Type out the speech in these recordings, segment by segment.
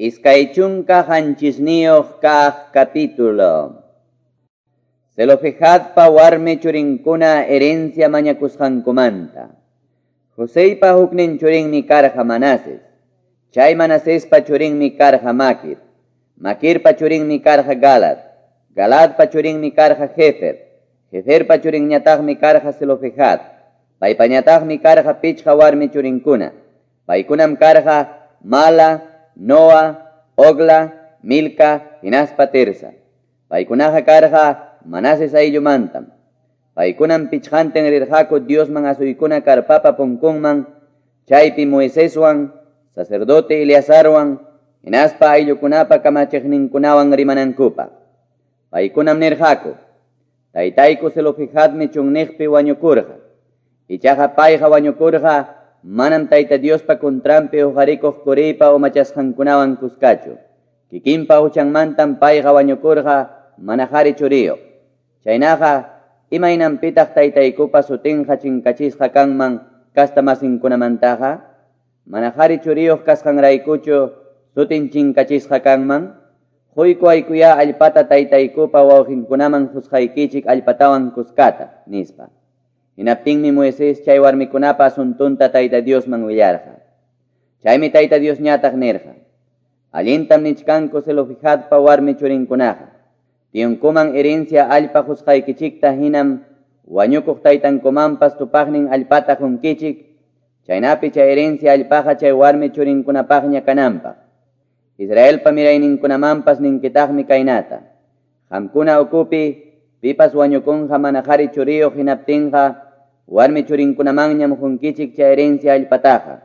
27 kaq capítulo. Zelofehadpa warmi churinkuna herencia mañakusqankumanta. Joseypa huknin churinmi karqa Manases. Chay Manasespa churinmi karqa Maquir. Maquirpa churinmi karqa Galad. Galadpa churinmi karqa Hefer. Heferpa churinñataqmi karqa Zelofehad. Paypañataqmi karqa pichqa warmi churinkuna. Paykunam karqa Mala, Noa, Ogla, Milca, hinaspa Tirsa. Paykunaqa karqa Manases ayllumantam. Paykunam pichqantin rirqaku Diosman asuykuna karpapa punkunman, chaypi Moiseswan, sacerdote Eleazarwan, hinaspa ayllukunapa kamachiqninkunawan rimanankupaq. Paykunam nirqaku, taytayku Zelofehadmi chunniqpi wañukurqa. Ichaqa payqa wañukurqa manam Tayta Diospa contranpi uqarikuq Coreypa umachasqankunawan kuskachu. Kikinpa huchanmantam payqa wañukurqa mana qhari churiyuq. Chaynaqa imaynanpitaq taytaykupa sutinqa chinkachisqa kanman kastamasinkunamantaqa? Mana qhari churiyuq kasqanraykuchu sutin chinkachisqa kanman? Quyku aykuya allpata taytaykupa wawqinkunaman qusqaykichik allpatawan kuskata, nispa. Hinaptinmi Moisés chay warmikunapa asuntunta Tayta Diosman willarqa. Chaymi Tayta Diosñataq nirqa: Allintam nichkanku Zelofehadpa warmi churinkunaqa. Tiyunkuman herencia allpa qusqaykichikta hinam wañukuq taytankumanpas tupaqnin allpata qunkichik, chaynapi chay herencia allpaqa chay warmi churinkunapaqña kananpaq. Israelpa mirayninkunamanpas ninkitaqmi kaynata: Qamkuna ukupi pipas wañukunqa mana qhari churiyuq hinaptinqa warmi churinkunamanñam qunkichik chay herencia allpataqa.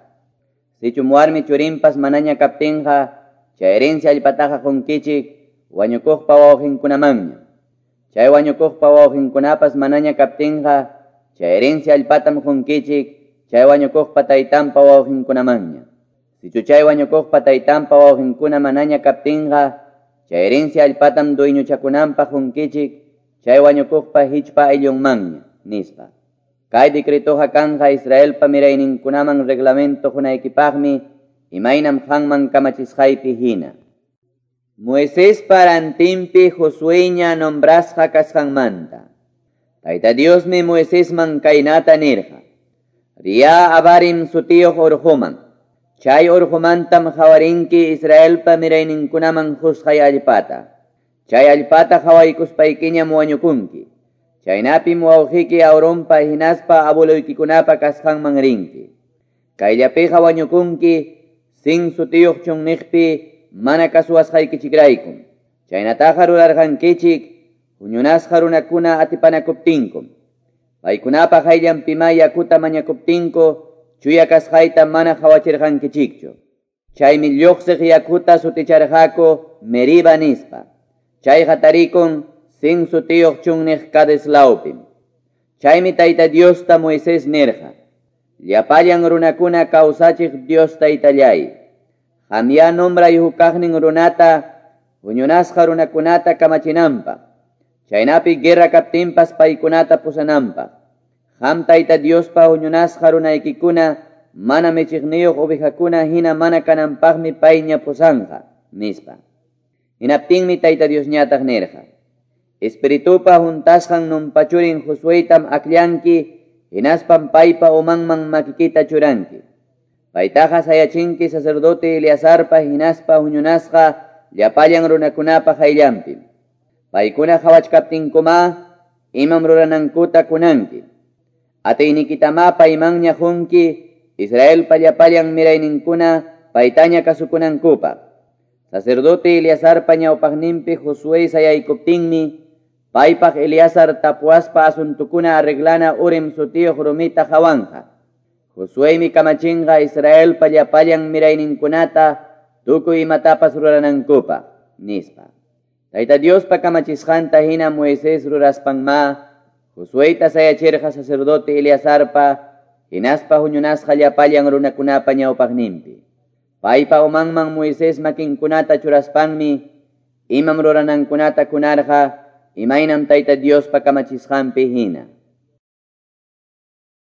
Sichum warmi churinpas manaña kaptinqa chay herencia allpataqa qunkichik wañukuqpa wawqinkunamanñam. Chay wañukuqpa wawqinkunapas manaña kaptinqa chay herencia allpatam qunkichik chay wañukuqpa taytanpa wawqinkunamanñam. Sichu chay wañukuqpa taytanpa wawqinkuna manaña kaptinqa chay herencia allpatam dueñochakunanpaq qunkichik chay wañukuqpa hichpa ayllunmanña, nispa. Kay decretoqa kanqa Israelpa mirayninkunaman reglamento qunaykipaqmi imaynam qanman kamachisqaypi hina. Moisespa rantinpi Josueña nombrasqa kasqanmanta. Tayta Diosmi Moisesman kaynata nirqa: Riya Abarim sutiyuq urquman. Chay urqumantam qawarinki Israelpa mirayninkunaman qusqay allpata. Chay allpata qawaykuspaykiñam wañukunki. Chaynapim wawqiyki Aaronpa hinaspa abueloykikunapa kasqanman rinki. Kayllapiqa wañukunki Sin sutiyuq chunniqpi mana kasuwasqaykichikraykum. Chaynataqa rurarqankichik huñunasqa runakuna atipanakuptinkum. Paykunapa qayllanpima yakuta mañakuptinku chuya kasqayta mana qawachirqankichikchu. Chaymi lluqsiq yakuta suticharqaku Meriba nispa. Chayqa tarikun Sin sutiyuq chunniq Cades lawpim. Chaymi Tayta Diosta Moisés nirqa: Llapallan runakuna kawsachiq Dios Taytallay, qamya nombray hukaqnin runata huñunasqa runakunata kamachinanpaq, chaynapi guerra kaptinpas paykunata pusananpaq. Qam Tayta Diospa huñunasqa runaykikuna mana michiqniyuq ovejakuna hina mana kananpaqmi payña pusanqa, nispa. Hinaptinmi Tayta Diosñataq nirqa: Espiritupa juntasqan Nunpa churin Josueytam akllanki, hinaspam paypa umanman makikita churanki. Paytaqa sayachinki sacerdote Eleazarpa hinaspa huñunasqa llapallan runakunapa qayllanpi. Paykuna qawachkaptinkuma imam ruranankuta kunanki. Atiynikitamá paymanña qunki Israelpa llapallan mirayninkuna paytaña kasukunankupaq. Sacerdote Eleazarpa ñawpaqninpi Josué sayaykuptinmi paypaq Eleazar tapuaspa asuntukuna arreglana Urim sutiyuq rumita qawanqa. Josueymi kamachinqa Israelpa llapallan mirayninkunata tukuy imatapas ruranankupaq, nispa. Tayta Diospa kamachisqanta hina Moisés ruraspanma Josueyta sayachirqa sacerdote Eleazarpa hinaspa huñunasqa llapallan runakunapa ñawpaqninpi. Paypa umanman Moisés makinkunata churaspanmi imam ruranankunata kunarqa imaynam Tayta Diospa kamachisqanpi hina.